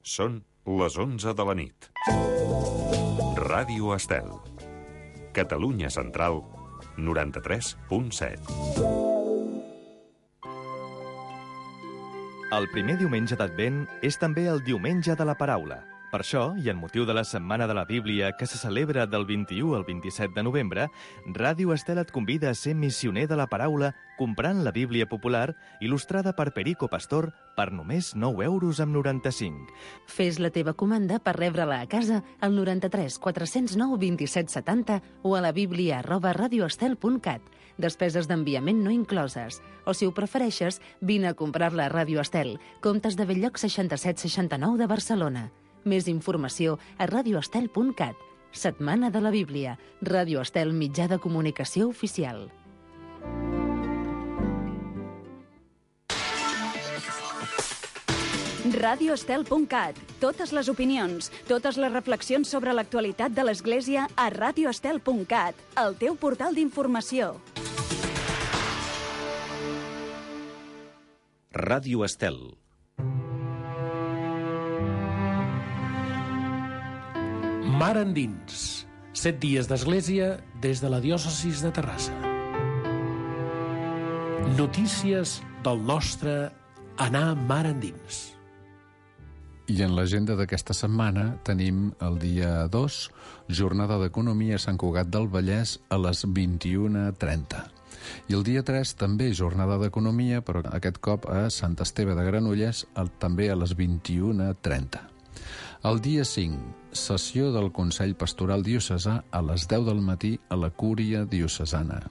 Són les 11 de la nit. Ràdio Estel. Catalunya Central, 93.7. El primer diumenge d'Advent és també el diumenge de la paraula. Per això, i en motiu de la Setmana de la Bíblia, que se celebra del 21 al 27 de novembre, Ràdio Estel et convida a ser missioner de la paraula comprant la Bíblia popular il·lustrada per Perico Pastor per només 9,95 €. Fes la teva comanda per rebre-la a casa al 93 409 27 70 o a la biblia@radioestel.cat. Despeses d'enviament no incloses. O, si ho prefereixes, vine a comprar-la a Ràdio Estel, Comtes de Bell-lloc 6769 de Barcelona. Més informació a radioestel.cat. Setmana de la Bíblia. Ràdio Estel, mitjà de comunicació oficial. radioestel.cat. Totes les opinions, totes les reflexions sobre l'actualitat de l'Església a radioestel.cat, el teu portal d'informació. Ràdio Estel. Mar endins. 7 dies d'Església des de la diòcesis de Terrassa. Notícies del nostre anar mar endins. I en l'agenda d'aquesta setmana tenim el dia 2, jornada d'economia a Sant Cugat del Vallès a les 21:30. I el dia 3 també jornada d'economia, però aquest cop a Sant Esteve de Granollers, també a les 21:30. El dia 5, sessió del Consell Pastoral Diocesà a les 10 del matí a la Cúria Diocesana.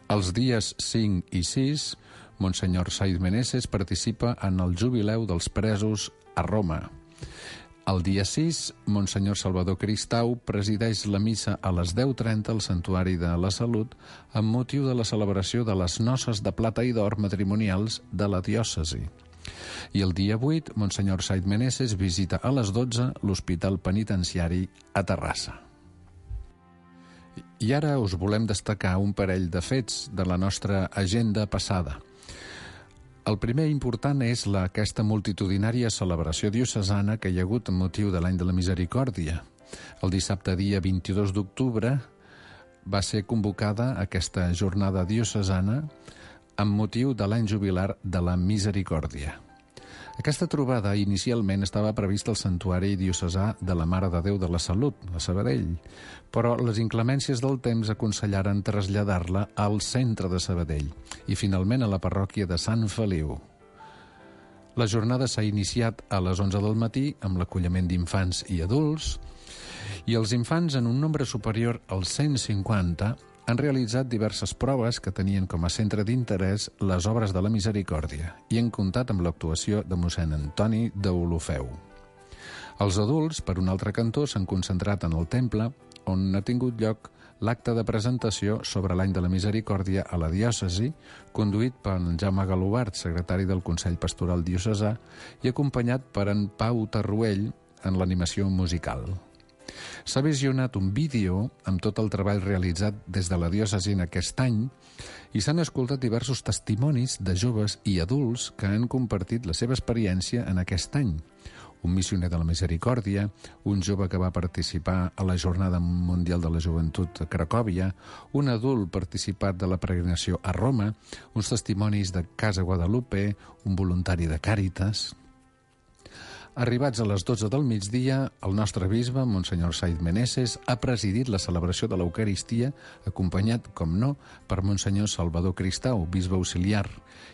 Els dies 5 i 6, Monsenyor Said Meneses participa en el jubileu dels presos a Roma. El dia 6, Monsenyor Salvador Cristau presideix la missa a les 10:30 al Santuari de la Salut amb motiu de la celebració de les noces de plata i d'or matrimonials de la diòcesi. I el dia 8, Monsenyor Said Meneses visita a les 12 l'Hospital Penitenciari a Terrassa. I ara us volem destacar un parell de fets de la nostra agenda passada. El primer important és aquesta multitudinària celebració diocesana que hi ha hagut amb motiu de l'any de la Misericòrdia. El dissabte dia 22 d'octubre va ser convocada aquesta jornada diocesana amb motiu de l'any jubilar de la Misericòrdia. Aquesta trobada inicialment estava prevista al Santuari Diocesà de la Mare de Déu de la Salut, a Sabadell, però les inclemències del temps aconsellaren traslladar-la al centre de Sabadell i finalment a la parròquia de Sant Feliu. La jornada s'ha iniciat a les 11 del matí amb l'acolliment d'infants i adults, i els infants, en un nombre superior als 150, han realitzat diverses proves que tenien com a centre d'interès les obres de la Misericòrdia i han comptat amb l'actuació de mossèn Antoni d'Olofeu. Els adults, per un altre cantó, s'han concentrat en el temple, on ha tingut lloc l'acte de presentació sobre l'any de la Misericòrdia a la diòcesi, conduït per en Jaume Galobart, secretari del Consell Pastoral Diocesà, i acompanyat per en Pau Tarruell en l'animació musical. S'ha visionat un vídeo amb tot el treball realitzat des de la diòcesi en aquest any i s'han escoltat diversos testimonis de joves i adults que han compartit la seva experiència en aquest any. Un missioner de la Misericòrdia, un jove que va participar a la Jornada Mundial de la Joventut a Cracòvia, un adult participat de la peregrinació a Roma, uns testimonis de Casa Guadalupe, un voluntari de Càritas. Arribats a les 12 del migdia, el nostre bisbe, Monsenyor Said Meneses, ha presidit la celebració de l'Eucaristia, acompanyat, com no, per Monsenyor Salvador Cristau, bisbe auxiliar,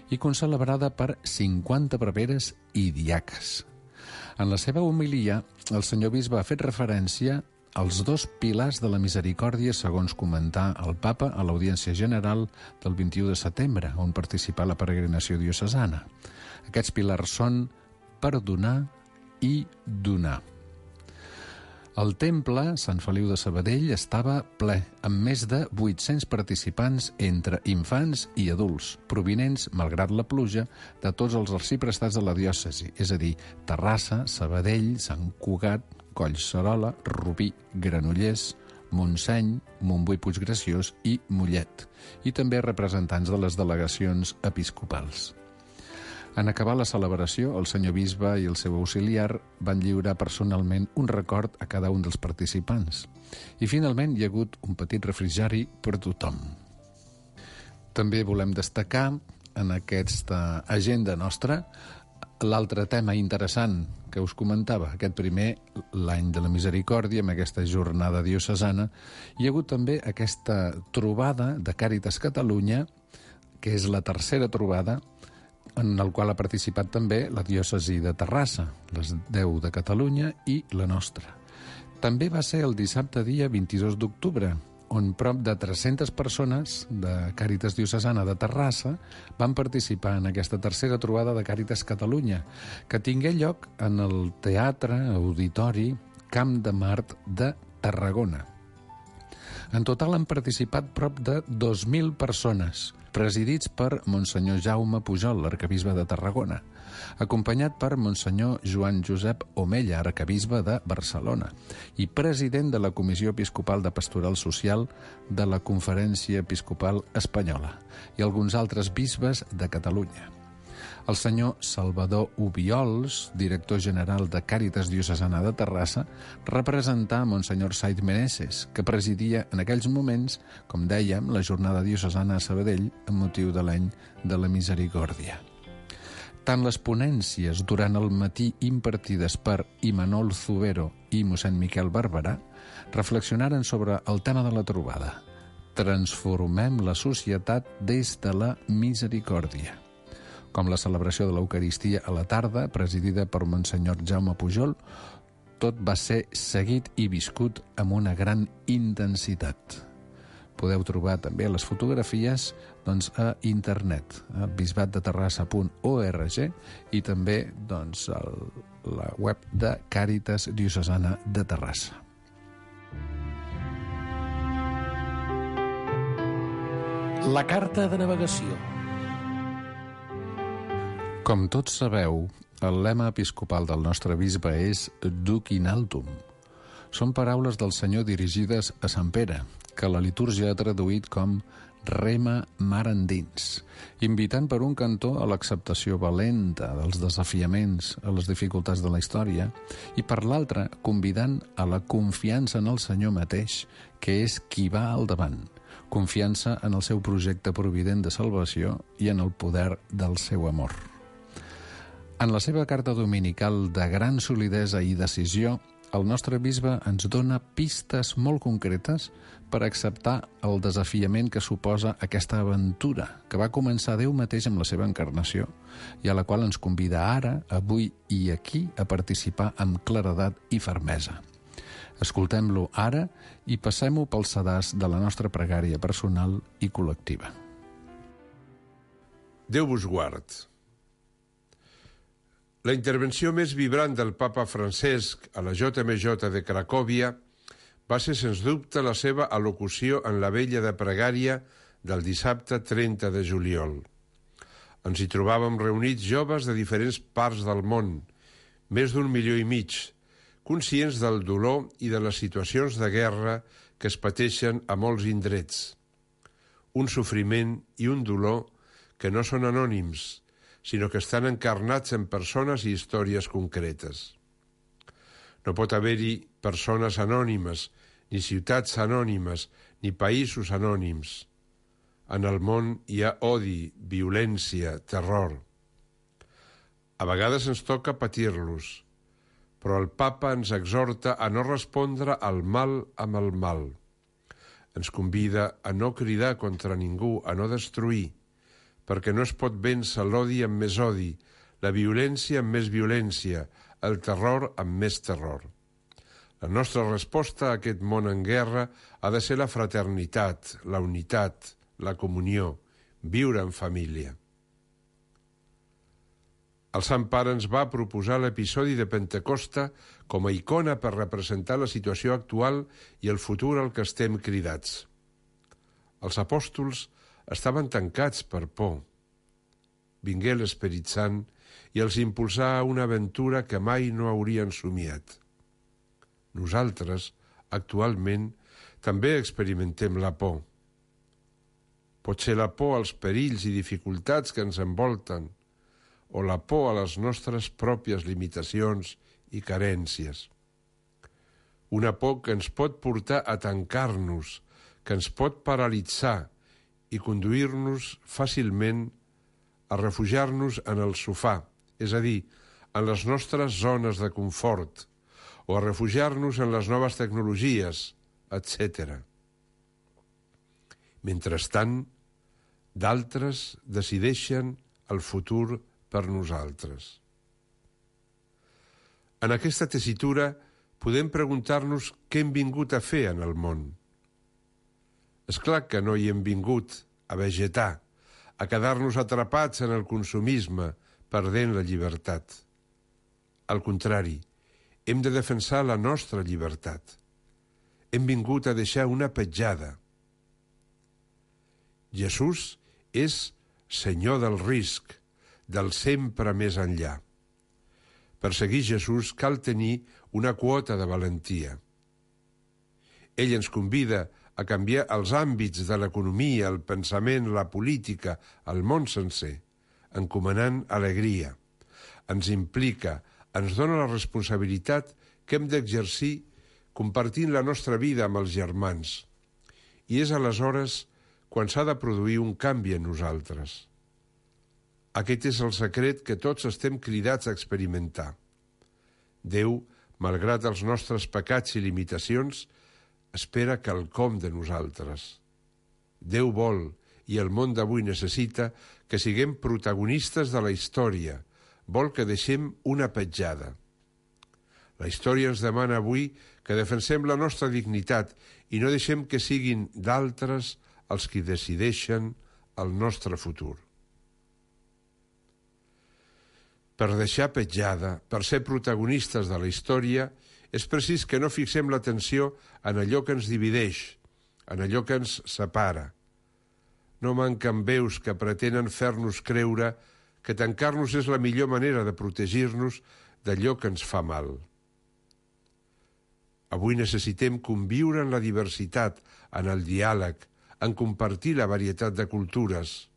i concelebrada per 50 preveres i diaques. En la seva homilia, el senyor bisbe ha fet referència als 2 pilars de la Misericòrdia, segons comentà el papa a l'Audiència General del 21 de setembre, on participà la peregrinació diocesana. Aquests pilars són perdonar i donar. El temple, Sant Feliu de Sabadell, estava ple, amb més de 800 participants entre infants i adults, provinents, malgrat la pluja, de tots els arxiprestats de la diòcesi, és a dir, Terrassa, Sabadell, Sant Cugat, Collserola, Rubí, Granollers, Montseny, Montbui Puiggraciós i Mollet, i també representants de les delegacions episcopals. En acabar la celebració, el senyor bisbe i el seu auxiliar van lliurar personalment un record a cada un dels participants. I finalment hi ha hagut un petit refrigeri per tothom. També volem destacar en aquesta agenda nostra l'altre tema interessant que us comentava, aquest primer, l'any de la misericòrdia, amb aquesta jornada diocesana. Hi ha hagut també aquesta trobada de Càritas Catalunya, que és la tercera trobada, en el qual ha participat també la diòcesi de Terrassa, les 10 de Catalunya i la nostra. També va ser el dissabte dia 22 d'octubre, on prop de 300 persones de Càritas Diocesana de Terrassa van participar en aquesta tercera trobada de Càritas Catalunya, que tingué lloc en el Teatre Auditori Camp de Mart de Tarragona. En total han participat prop de 2.000 persones, presidits per Monsenyor Jaume Pujol, l'arquebisbe de Tarragona, acompanyat per Monsenyor Joan Josep Omella, arquebisbe de Barcelona, i president de la Comissió Episcopal de Pastoral Social de la Conferència Episcopal Espanyola, i alguns altres bisbes de Catalunya. El senyor Salvador Ubiols, director general de Càritas Diocesana de Terrassa, representà Monsenyor Said Meneses, que presidia en aquells moments, com dèiem, la jornada diocesana a Sabadell amb motiu de l'any de la misericòrdia. Tant les ponències durant el matí impartides per Imanol Zubero i mossèn Miquel Barberà reflexionaren sobre el tema de la trobada. Transformem la societat des de la misericòrdia. Com la celebració de l'Eucaristia a la tarda, presidida per Monsenyor Jaume Pujol, tot va ser seguit i viscut amb una gran intensitat. Podeu trobar també les fotografies a internet, a bisbatdeterrassa.org, i també a la web de Càritas Diocesana de Terrassa. La carta de navegació. Com tots sabeu, el lema episcopal del nostre bisbe és Duc in altum. Són paraules del Senyor dirigides a Sant Pere, que la litúrgia ha traduït com rema mar endins, invitant per un cantó a l'acceptació valenta dels desafiaments, a les dificultats de la història, i per l'altre convidant a la confiança en el Senyor mateix, que és qui va al davant, confiança en el seu projecte provident de salvació i en el poder del seu amor. En la seva carta dominical de gran solidesa i decisió, el nostre bisbe ens dona pistes molt concretes per acceptar el desafiament que suposa aquesta aventura, que va començar Déu mateix amb la seva encarnació i a la qual ens convida ara, avui i aquí, a participar amb claredat i fermesa. Escoltem-lo ara i passem-ho pel sedàs de la nostra pregària personal i col·lectiva. Déu vos guard. La intervenció més vibrant del papa Francesc a la JMJ de Cracòvia va ser, sens dubte, la seva al·locució en la vella de pregària del dissabte 30 de juliol. Ens hi trobàvem reunits joves de diferents parts del món, més d'1,5 milió, conscients del dolor i de les situacions de guerra que es pateixen a molts indrets. Un sofriment i un dolor que no són anònims, sinó que estan encarnats en persones i històries concretes. No pot haver-hi persones anònimes, ni ciutats anònimes, ni països anònims. En el món hi ha odi, violència, terror. A vegades ens toca patir-los, però el papa ens exhorta a no respondre al mal amb el mal. Ens convida a no cridar contra ningú, a no destruir, perquè no es pot vèncer l'odi amb més odi, la violència amb més violència, el terror amb més terror. La nostra resposta a aquest món en guerra ha de ser la fraternitat, la unitat, la comunió, viure en família. El Sant Pare ens va proposar l'episodi de Pentecosta com a icona per representar la situació actual i el futur al que estem cridats. Els apòstols estaven tancats per por. Vingué l'Esperit Sant i els impulsà a una aventura que mai no haurien somiat. Nosaltres, actualment, també experimentem la por. Pot ser la por als perills i dificultats que ens envolten, o la por a les nostres pròpies limitacions i carències. Una por que ens pot portar a tancar-nos, que ens pot paralitzar i conduir-nos fàcilment a refugiar-nos en el sofà, és a dir, en les nostres zones de confort, o a refugiar-nos en les noves tecnologies, etc. Mentrestant, d'altres decideixen el futur per nosaltres. En aquesta tessitura podem preguntar-nos què hem vingut a fer en el món. És clar que no hi hem vingut a vegetar, a quedar-nos atrapats en el consumisme, perdent la llibertat. Al contrari, hem de defensar la nostra llibertat. Hem vingut a deixar una petjada. Jesús és Senyor del risc, del sempre més enllà. Per seguir Jesús cal tenir una quota de valentia. Ell ens convida a canviar els àmbits de l'economia, el pensament, la política, el món sencer, encomanant alegria. Ens implica, ens dona la responsabilitat que hem d'exercir compartint la nostra vida amb els germans. I és aleshores quan s'ha de produir un canvi en nosaltres. Aquest és el secret que tots estem cridats a experimentar. Déu, malgrat els nostres pecats i limitacions, espera quelcom de nosaltres. Déu vol, i el món d'avui necessita, que siguem protagonistes de la història. Vol que deixem una petjada. La història ens demana avui que defensem la nostra dignitat i no deixem que siguin d'altres els qui decideixen el nostre futur. Per deixar petjada, per ser protagonistes de la història, és precís que no fixem l'atenció en allò que ens divideix, en allò que ens separa. No manquen veus que pretenen fer-nos creure que tancar-nos és la millor manera de protegir-nos d'allò que ens fa mal. Avui necessitem conviure en la diversitat, en el diàleg, en compartir la varietat de cultures,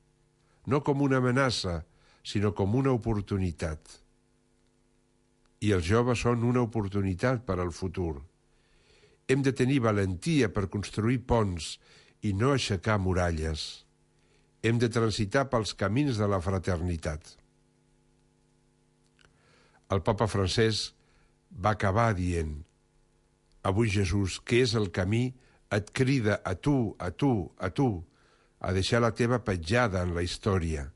no com una amenaça, sinó com una oportunitat. I els joves són una oportunitat per al futur. Hem de tenir valentia per construir ponts i no aixecar muralles. Hem de transitar pels camins de la fraternitat. El papa Francesc va acabar dient: avui Jesús, que és el camí, et crida a tu, a deixar la teva petjada en la història.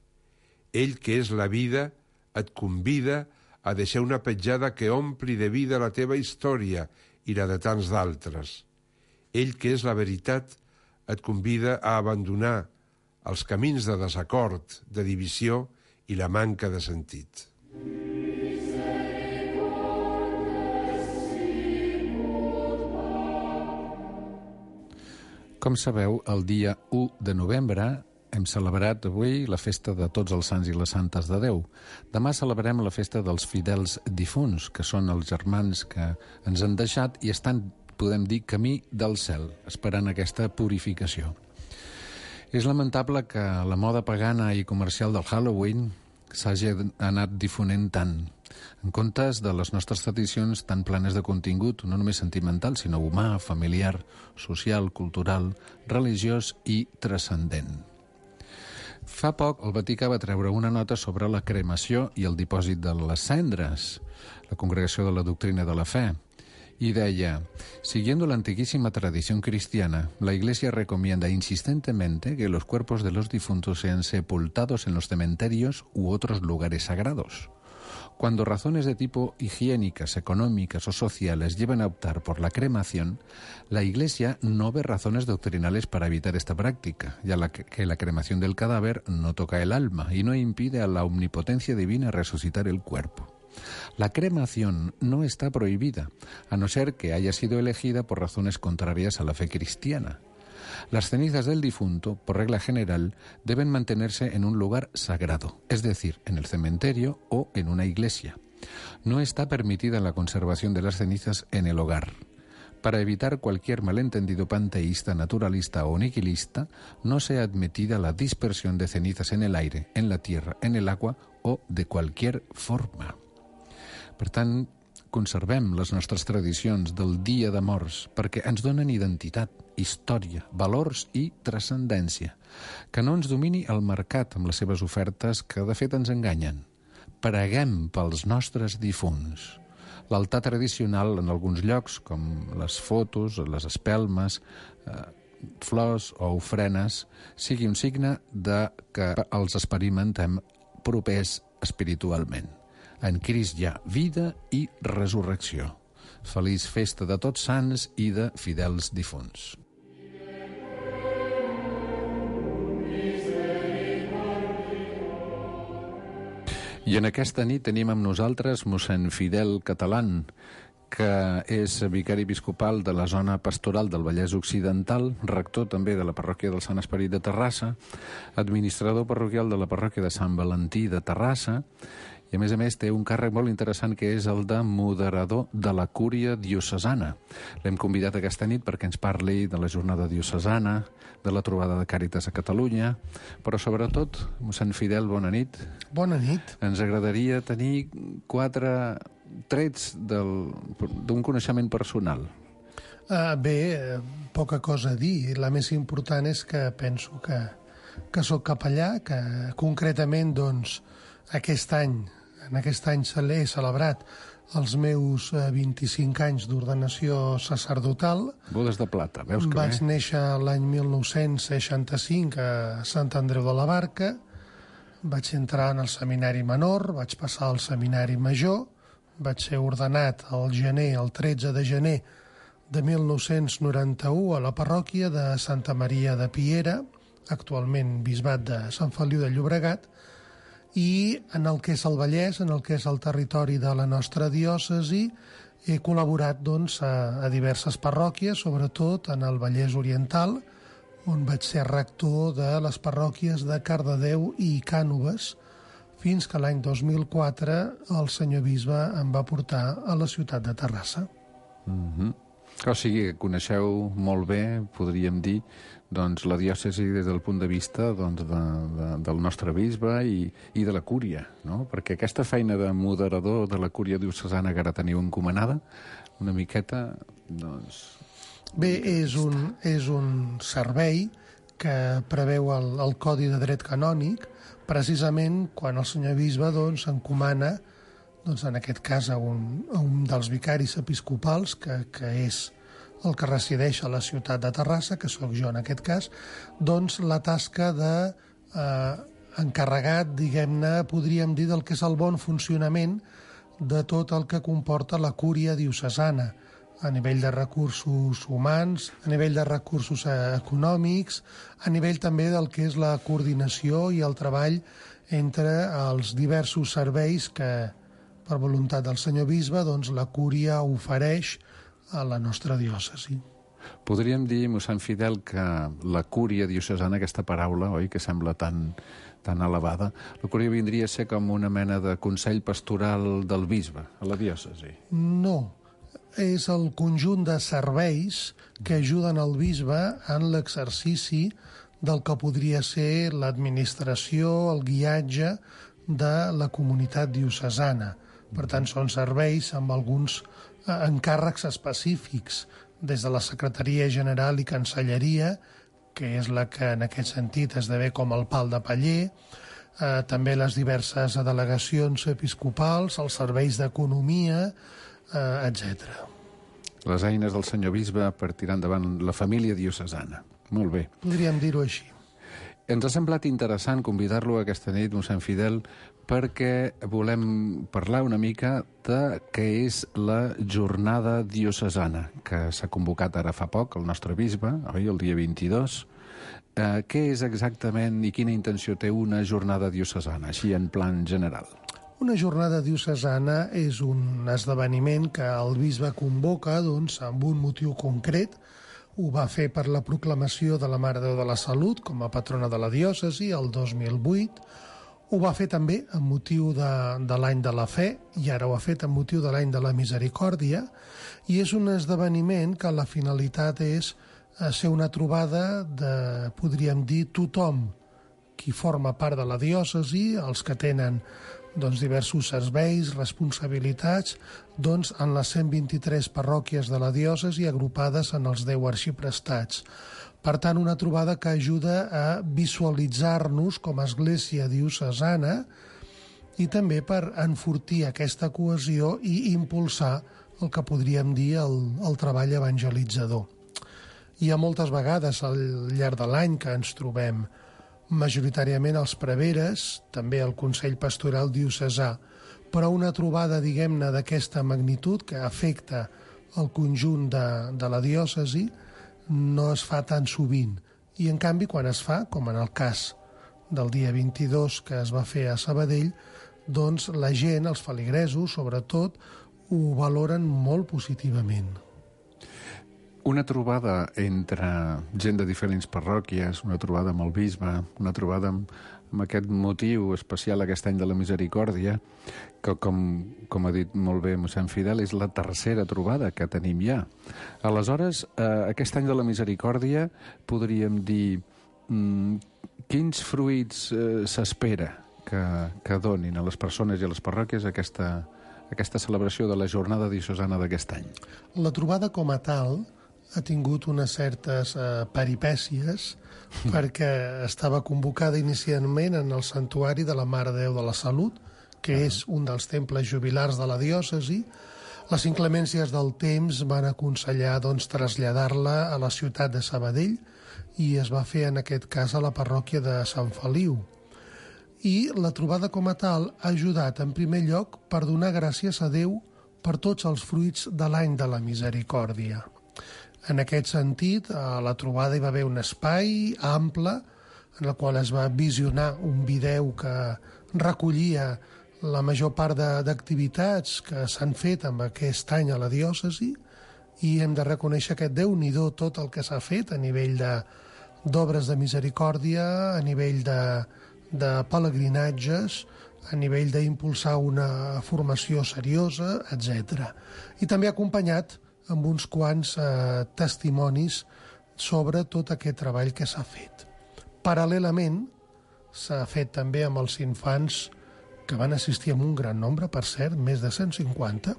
Ell, que és la vida, et convida a deixar una petjada que ompli de vida la teva història i la de tants d'altres. Ell, que és la veritat, et convida a abandonar els camins de desacord, de divisió i la manca de sentit. Com sabeu, el dia 1 de novembre hem celebrat avui la festa de tots els sants i les santes de Déu. Demà celebrem la festa dels fidels difunts, que són els germans que ens han deixat i estan, podem dir, camí del cel, esperant aquesta purificació. És lamentable que la moda pagana i comercial del Halloween s'hagi anat difonent tant, en comptes de les nostres tradicions tan plenes de contingut, no només sentimental, sinó humà, familiar, social, cultural, religiós i transcendent. Fa poc, el Vaticà va treure una nota sobre la cremació i el dipòsit de les cendres, la Congregació de la Doctrina de la Fe, y deia: siguiendo la antiquísima tradición cristiana, la Iglesia recomienda insistentemente que los cuerpos de los difuntos sean sepultados en los cementerios u otros lugares sagrados. Cuando razones de tipo higiénicas, económicas o sociales llevan a optar por la cremación, la Iglesia no ve razones doctrinales para evitar esta práctica, ya que la cremación del cadáver no toca el alma y no impide a la omnipotencia divina resucitar el cuerpo. La cremación no está prohibida, a no ser que haya sido elegida por razones contrarias a la fe cristiana. Las cenizas del difunto, por regla general, deben mantenerse en un lugar sagrado, es decir, en el cementerio o en una iglesia. No está permitida la conservación de las cenizas en el hogar. Para evitar cualquier malentendido panteísta, naturalista o nihilista, no sea admitida la dispersión de cenizas en el aire, en la tierra, en el agua o de cualquier forma. Per tant, conservem les nostres tradicions del Dia de Morts perquè ens donen identitat, història, valors i transcendència. Que no ens domini el mercat amb les seves ofertes que de fet ens enganyen. Preguem pels nostres difunts. L'altar tradicional en alguns llocs, com les fotos, les espelmes, flors o ofrenes, sigui un signe de que els experimentem propers espiritualment. En Crist hi ha vida i resurrecció. Feliç festa de Tots Sants i de fidels difunts. I en aquesta nit tenim amb nosaltres mossèn Fidel Catalán, que és vicari episcopal de la zona pastoral del Vallès Occidental, rector també de la parròquia del Sant Esperit de Terrassa, administrador parroquial de la parròquia de Sant Valentí de Terrassa, i a més té un càrrec molt interessant que és el de moderador de la Cúria Diocesana. L'hem convidat aquesta nit perquè ens parli de la jornada diocesana, de la trobada de Càritas a Catalunya, però sobretot, mossèn Fidel, bona nit. Bona nit. Ens agradaria tenir 4 trets d'un coneixement personal. Poca cosa a dir. La més important és que penso que sóc capellà, que concretament, doncs, en aquest any he celebrat els meus 25 anys d'ordenació sacerdotal. Bodes de plata, veus que Vaig néixer l'any 1965 a Sant Andreu de la Barca, vaig entrar en el seminari menor, vaig passar al seminari major, vaig ser ordenat el 13 de gener de 1991 a la parròquia de Santa Maria de Piera, actualment bisbat de Sant Feliu de Llobregat, i en el que és el Vallès, en el que és el territori de la nostra diòcesi, he col·laborat a diverses parròquies, sobretot en el Vallès Oriental, on vaig ser rector de les parròquies de Cardedeu i Cànoves, fins que l'any 2004 el senyor bisbe em va portar a la ciutat de Terrassa. O sigui, coneixeu molt bé, podríem dir, la diòcesi des del punt de vista del nostre bisbe i de la cúria, no? Perquè aquesta feina de moderador de la cúria diocesana que ara teniu encomanada, una miqueta, Bé, és un servei que preveu el Codi de Dret Canònic, precisament quan el senyor bisbe encomana, en aquest cas, a un dels vicaris episcopals, que és el que resideix a la ciutat de Terrassa, que sóc jo en aquest cas, la tasca d'encarregat, diguem-ne, podríem dir, del que és el bon funcionament de tot el que comporta la cúria diocesana, a nivell de recursos humans, a nivell de recursos econòmics, a nivell també del que és la coordinació i el treball entre els diversos serveis que, per voluntat del senyor bisbe, la cúria ofereix a la nostra diòcesi. Podríem dir, mossèn Fidel, que la cúria diocesana, aquesta paraula, oi, que sembla tan elevada, la cúria vindria a ser com una mena de consell pastoral del bisbe a la diòcesi? No, és el conjunt de serveis que ajuden el bisbe en l'exercici del que podria ser l'administració, el guiatge de la comunitat diocesana. Per tant, són serveis amb alguns encàrrecs específics, des de la Secretaria General i Cancelleria, que és la que en aquest sentit esdevé com el pal de paller, també les diverses delegacions episcopals, els serveis d'economia, etc. Les eines del senyor bisbe per tirar endavant la família diocesana. Molt bé. Podríem dir-ho així. Ens ha semblat interessant convidar-lo aquesta nit, mossèn Fidel, perquè volem parlar una mica de què és la jornada diocesana, que s'ha convocat ara fa poc, el nostre bisbe, oi, el dia 22. Què és exactament i quina intenció té una jornada diocesana, així en plan general? Una jornada diocesana és un esdeveniment que el bisbe convoca amb un motiu concret. Ho va fer per la proclamació de la Mare de Déu de la Salut com a patrona de la diòcesi el 2008. Ho va fer també amb motiu de l'any de la fe, i ara ho ha fet amb motiu de l'any de la misericòrdia, i és un esdeveniment que la finalitat és ser una trobada de, podríem dir, tothom qui forma part de la diòcesi, els que tenen diversos serveis, responsabilitats, en les 123 parròquies de la diòcesi agrupades en els 10 arxiprestats. Per tant, una trobada que ajuda a visualitzar-nos com a església diocesana i també per enfortir aquesta cohesió i impulsar el que podríem dir el treball evangelitzador. Hi ha moltes vegades al llarg de l'any que ens trobem, majoritàriament els preveres, també el Consell Pastoral Diocesà, però una trobada, diguem-ne, d'aquesta magnitud que afecta el conjunt de la diòcesi no es fa tan sovint. I, en canvi, quan es fa, com en el cas del dia 22 que es va fer a Sabadell, doncs la gent, els feligresos, sobretot, ho valoren molt positivament. Una trobada entre gent de diferents parròquies, una trobada amb el bisbe, una trobada amb aquest motiu especial aquest any de la misericòrdia, que com ha dit molt bé mossèn Fidel, és la tercera trobada que tenim ja. Aleshores, aquest any de la misericòrdia podríem dir quins fruits s'espera que donin a les persones i a les parròquies aquesta celebració de la jornada diocesana d'aquest any. La trobada com a tal ha tingut unes certes peripècies perquè estava convocada inicialment en el Santuari de la Mare de Déu de la Salut, que és un dels temples jubilars de la diòcesi. Les inclemències del temps van aconsellar traslladar-la a la ciutat de Sabadell i es va fer en aquest cas a la parròquia de Sant Feliu. I la trobada com a tal ha ajudat en primer lloc per donar gràcies a Déu per tots els fruits de l'any de la misericòrdia. En aquest sentit, a la trobada hi va haver un espai ample en el qual es va visionar un vídeo que recollia la major part d'activitats que s'han fet amb aquest any a la diòcesi i hem de reconèixer que Déu-n'hi-do tot el que s'ha fet a nivell d'obres de misericòrdia, a nivell de pelegrinatges, a nivell d'impulsar una formació seriosa, etc. I també acompanyat amb uns quants testimonis sobre tot aquest treball que s'ha fet. Paral·lelament, s'ha fet també amb els infants que van assistir amb un gran nombre, per cert, més de 150,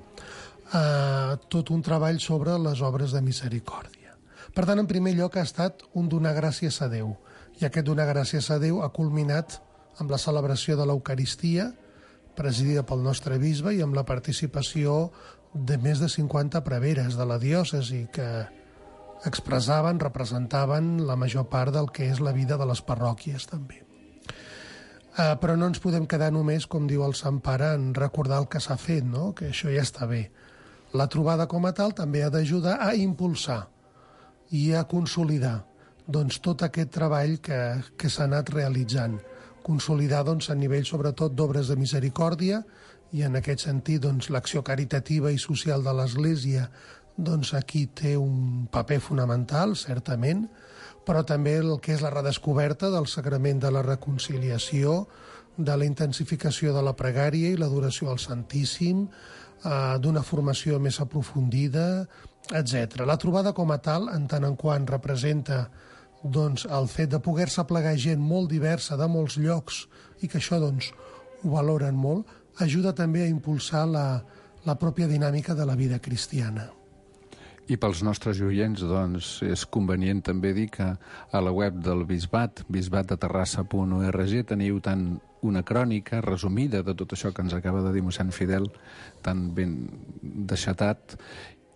tot un treball sobre les obres de misericòrdia. Per tant, en primer lloc ha estat un donar gràcies a Déu, i aquest donar gràcies a Déu ha culminat amb la celebració de l'Eucaristia, presidida pel nostre bisbe, i amb la participació de més de 50 preveres de la diòcesi que expressaven, representaven la major part del que és la vida de les parròquies també. Però no ens podem quedar només, com diu el Sant Pare, en recordar el que s'ha fet, no? Que això ja està bé. La trobada com a tal també ha d'ajudar a impulsar i a consolidar tot aquest treball que s'ha anat realitzant. Consolidar a nivell sobretot d'obres de misericòrdia i en aquest sentit l'acció caritativa i social de l'Església aquí té un paper fonamental, certament, però també el que és la redescoberta del sagrament de la reconciliació, de la intensificació de la pregària i l'adoració al Santíssim, d'una formació més aprofundida, etc. La trobada com a tal, en tant en quant representa el fet de poder-se plegar gent molt diversa de molts llocs i que això ho valoren molt, ajuda també a impulsar la pròpia dinàmica de la vida cristiana. I pels nostres oients, és convenient també dir que a la web del Bisbat, bisbatdeterrassa.org, teniu tant una crònica resumida de tot això que ens acaba de dir mossèn Fidel, tan ben deixatat,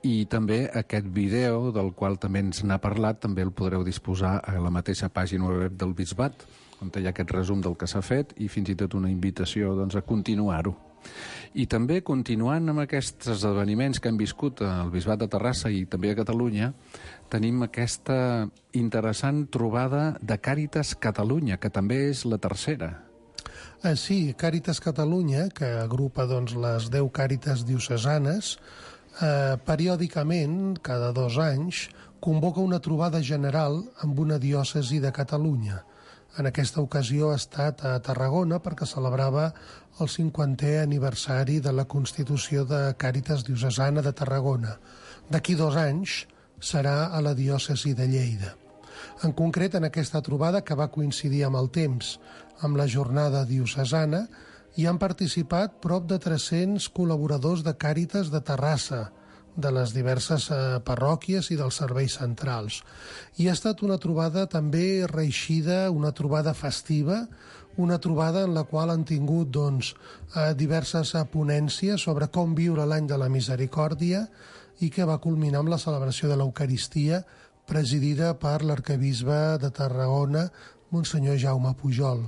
i també aquest vídeo del qual també ens n'ha parlat, també el podreu disposar a la mateixa pàgina web del Bisbat, on hi ha aquest resum del que s'ha fet i fins i tot una invitació a continuar-ho. I també, continuant amb aquests esdeveniments que hem viscut al Bisbat de Terrassa i també a Catalunya, tenim aquesta interessant trobada de Càritas Catalunya, que també és la tercera. Sí, Càritas Catalunya, que agrupa les 10 càritas diocesanes, periòdicament, cada 2 anys, convoca una trobada general amb una diòcesi de Catalunya. En aquesta ocasió ha estat a Tarragona perquè celebrava el 50è aniversari de la Constitució de Càritas Diocesana de Tarragona. D'aquí 2 anys serà a la diòcesi de Lleida. En concret, en aquesta trobada, que va coincidir amb el temps amb la jornada diocesana, hi han participat prop de 300 col·laboradors de Càritas de Terrassa, de les diverses parròquies i dels serveis centrals. I ha estat una trobada també reeixida, una trobada festiva, una trobada en la qual han tingut diverses ponències sobre com viure l'any de la misericòrdia i que va culminar amb la celebració de l'Eucaristia presidida per l'arquebisbe de Tarragona, Monsenyor Jaume Pujol.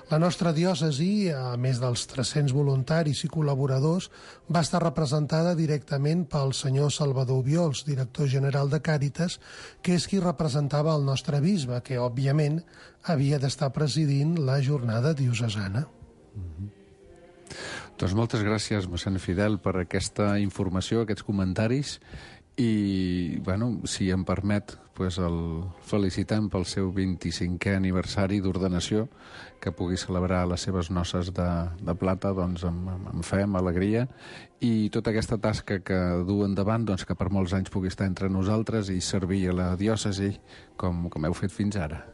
La nostra diòcesi, a més dels 300 voluntaris i col·laboradors, va estar representada directament pel senyor Salvador Obiols, director general de Càritas, que és qui representava el nostre bisbe, que, òbviament, havia d'estar presidint la jornada diocesana. Doncs moltes gràcies, mossèn Fidel, per aquesta informació, aquests comentaris, i, si em permet, el felicitem pel seu 25è aniversari d'ordenació, que pugui celebrar les seves noces de plata amb fe, amb alegria, i tota aquesta tasca que du endavant, que per molts anys pugui estar entre nosaltres i servir a la diòcesi com heu fet fins ara.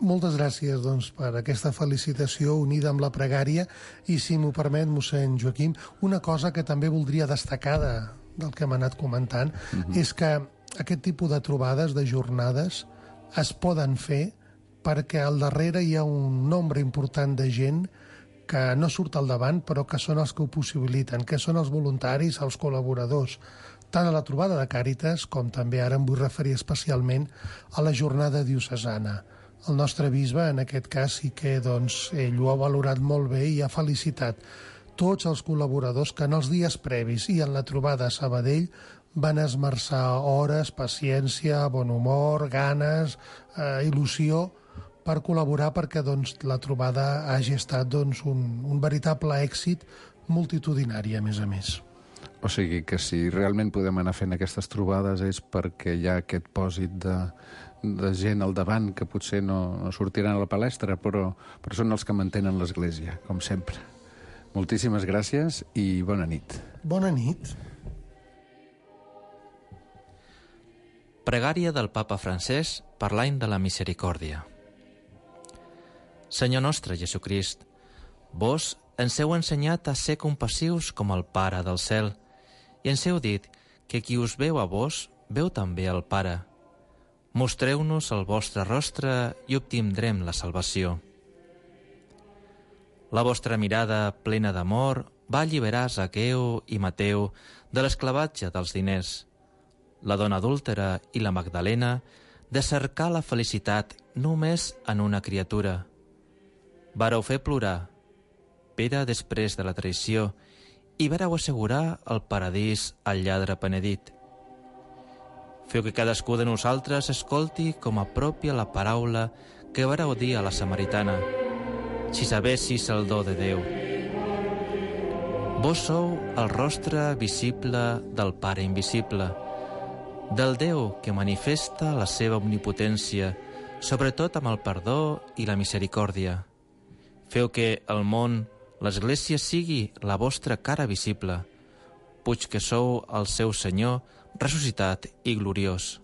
Moltes gràcies per aquesta felicitació unida amb la pregària, i si m'ho permet, mossèn Joaquim, una cosa que també voldria destacar del que hem anat comentant, és que aquest tipus de trobades, de jornades, es poden fer perquè al darrere hi ha un nombre important de gent que no surt al davant, però que són els que ho possibiliten, que són els voluntaris, els col·laboradors, tant a la trobada de Càritas com també ara em vull referir especialment a la jornada diocesana. El nostre bisbe, en aquest cas, sí que ell ho ha valorat molt bé i ha felicitat tots els col·laboradors que en els dies previs i en la trobada a Sabadell van esmerçar hores, paciència, bon humor, ganes, il·lusió per col·laborar perquè la trobada hagi estat un veritable èxit multitudinari, a més. O sigui que si realment podem anar fent aquestes trobades és perquè hi ha aquest pòsit de gent al davant que potser no sortiran a la palestra, però són els que mantenen l'Església, com sempre. Moltíssimes gràcies i bona nit. Bona nit. Pregària del Papa Francesc per l'any de la misericòrdia. Senyor nostre Jesucrist, vos ens heu ensenyat a ser compassius com el Pare del cel i ens heu dit que qui us veu a vos veu també al Pare. Mostreu-nos el vostre rostre i obtindrem la salvació. La vostra mirada plena d'amor va alliberar Zaqueu i Mateu de l'esclavatge dels diners, la dona adúltera i la Magdalena de cercar la felicitat només en una criatura. Vareu fer plorar Pere després de la traïció i vareu assegurar el paradís al lladre penedit. Feu que cadascú de nosaltres escolti com a pròpia la paraula que vareu dir a la samaritana: si sabessis el do de Déu. Vos sou el rostre visible del Pare invisible, del Déu que manifesta la seva omnipotència, sobretot amb el perdó i la misericòrdia. Feu que el món, l'Església, sigui la vostra cara visible, puig que sou el seu Senyor ressuscitat i gloriós.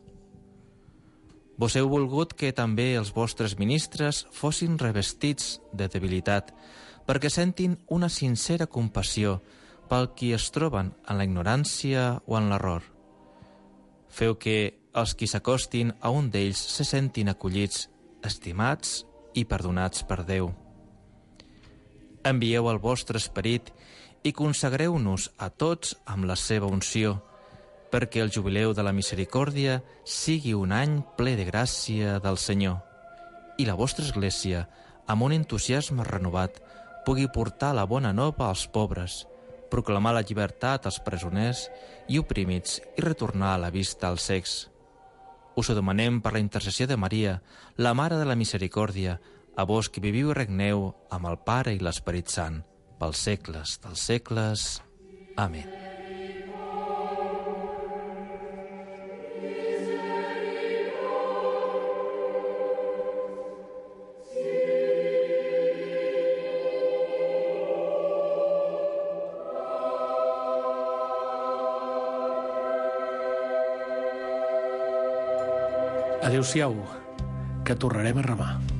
Vos heu volgut que també els vostres ministres fossin revestits de debilitat, perquè sentin una sincera compassió pel qui es troben en la ignorància o en l'error. Feu que els qui s'acostin a un d'ells se sentin acollits, estimats i perdonats per Déu. Envieu el vostre esperit i consagreu-nos a tots amb la seva unció, perquè el jubileu de la misericòrdia sigui un any ple de gràcia del Senyor i la vostra Església, amb un entusiasme renovat, pugui portar la bona nova als pobres, proclamar la llibertat als presoners i oprimits i retornar la vista als cecs. Us ho demanem per la intercessió de Maria, la Mare de la Misericòrdia, a vos que viviu i regneu amb el Pare i l'Esperit Sant, pels segles dels segles. Amén. Adéu-siau, que tornarem a remar.